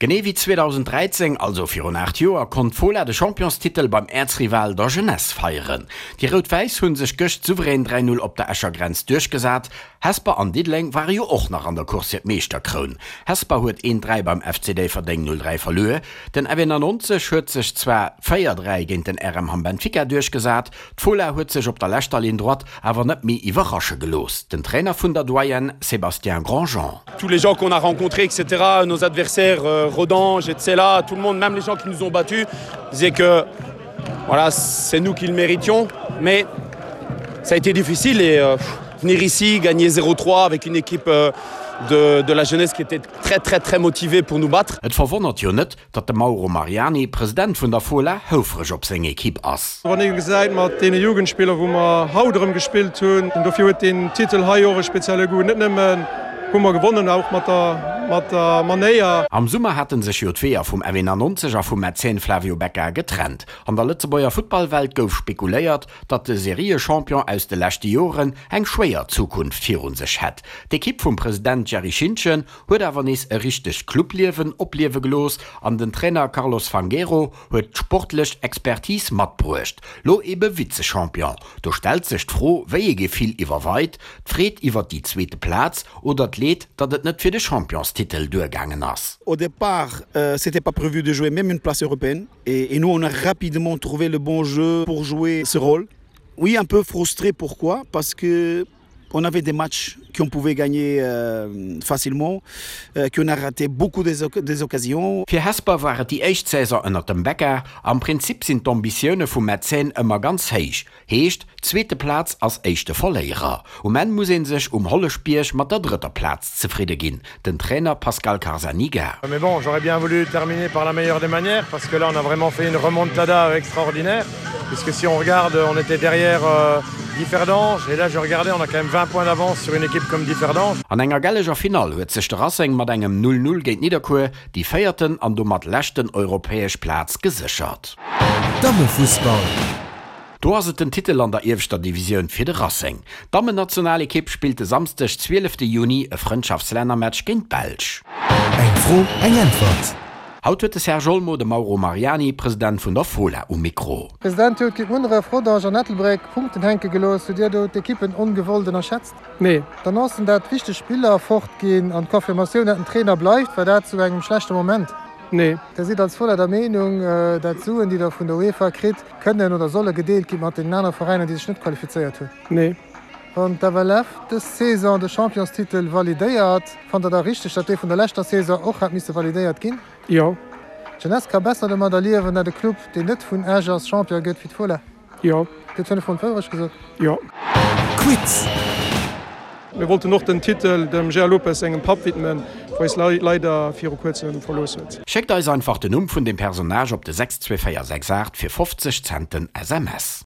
Genee wéi 2013, also virun 8 Joer, konnt d'Fola de Championstitel beim Äerzrival der Jeunesse feieren. Déi Rout-Wäiss hu sech gëscht souverän 3, 0 op der Escher Grenz duerchgesat. Hesper an Diddeleng ware jo och nach an der Course fir d'Meeschterkroun. Hesper huet 1, 3 beim FC Déifferdeng 0, 3 verluer. Den FE91 huet sech zwar 4, 3 géint den RM Hamm Benfica duerchgesat, D'Fola huet sech op der leschter Ligne droite awer net méi iwwerrasche gelooss. Den Trainer vun der Doyenne Sébastien Grandjean. Tous les gens qu'on a rencontrés etc nos adversaires Rodange etc tout le monde même les gens qui nous ont battus disaient que voilà c'est nous qui le méritions mais ça a été difficile et euh, venir ici gagner 03 avec une équipe euh, de, de la jeunesse qui était très très très motivée pour nous battre. Et verwonnert jo net, Datt de Mauro Mariani, President vun der Fola, houfreg op seng Ekipp ass. Wann ee gesäit mat deene Jugendspiller wou mer haut erëm gespillt hunn, dofir huet deen Titel hei och e spezielle Goût. Net nëmmen hu mer gewonnen, och mat der mat der Manéier. Am Summer hate sech jo d'Weeër vum FE91 a vum Mäzen Flavio Becca getrennt. An der Lëtzebuerger Futtballwelt gouf spekuléiert, datt de Seriechampion aus de leschte Joren eng schwéier Zukunft virun sech hätt. D'Ekipp vum President Jerry Schintgen huet awer nees e richtegt Clubliewen opliewe gelooss an den Trainer Carlos Fangueiro huet d'sportlech Expertise matbruecht. Lo ebe Vize-Champion. Do stellt sech d'Fro, wéi ee Gefill iwwerweit, d'Freed iwwert déi zweete Plaz oder d'Leed, datt et net fir de Championstitel duergaangen ass. Au départ, c'était pas prévu de jouer même une place européenne et nous on a rapidement trouvé le bon jeu pour jouer ce rôle. Oui, un peu frustré, pourquoi? Parce que on avait des matchs qu'on pouvait gagner euh, facilement, euh, qu'on a raté beaucoup des, des occasions. Fir Hesper war et déi éischt Saison ënnert dem Becca. Am Prinzip sinn d'Ambitioune vum Mäzen ëmmer ganz héich. Heescht, zweete Plaz ass éischte Verléierer. Um Enn muss ee sech um Holleschbierg mat der drëtter Plaz zefridde ginn. Den Trainer Pascal Carzaniga. Mais bon, j'aurais bien voulu terminer par la meilleure des manières parce que là on a vraiment fait une remontada extraordinaire puisque si on regarde, on était derrière euh, Differdange et là je regardais, on a quand même 20 points d'avance sur une équipe comme Differdange. An enger gelleger Finall huet sech de Racing mat engem 0, 0 géint Nidderkuer déi véierten an domat leschten europäesch Plaz geséchert. Dammefussball. Do ass et den Titel an der ieweschter Divisioun fir de Racing. D'Dammennationalekipp spillt de Samsdeg, 12 Juni e Frëndschaftslännermatch géint d'Belsch. Eng Fro, eng Äntwert. Haut huet de Serge Olmo de Mauro Mariani, President vun der Fola, um Mikro. President, Dir hutt géint Munneref, Rodange an Ettelbréck Punkten hänke gelooss. Hutt Dir do d'Ekippen ongewollt ënnerschätzt? Nee. D'Annoncen dat wichteg Spiller fort ginn an d'Confirmatioun dat den Trainer bleift, war dat zu engem schlechte Moment? Nee. Dir sidd als Fola der Meenung dat d'Suen déi der vun der UEFA kritt, kënnen oder solle gedeelt gi mat deenen anere Veräiner, déi sech net qualifizéiert hunn? Nee. Wann d'FLF dës Saison de Championstitel validéiert, fannt der da richteg, datt dee vun der leschter Saison och hätt misse validéiert ginn? Jo. D'Jeunesse ka besser domadder liewen, datt e Club, deen net vun Esch ass, Champion gëtt wéi d'Fola? Jo. Gëtt 5 Froen d'Wourecht gesot? Jo. Quiz. Mir wollten och den Titel dem Gérard Lopez sengem Papp widmen, wou eis leider viru kuerzem verlooss huet. Schéckt eis einfach den Numm vun dem Personnage op de 62468 fir 50 Cent den SMS.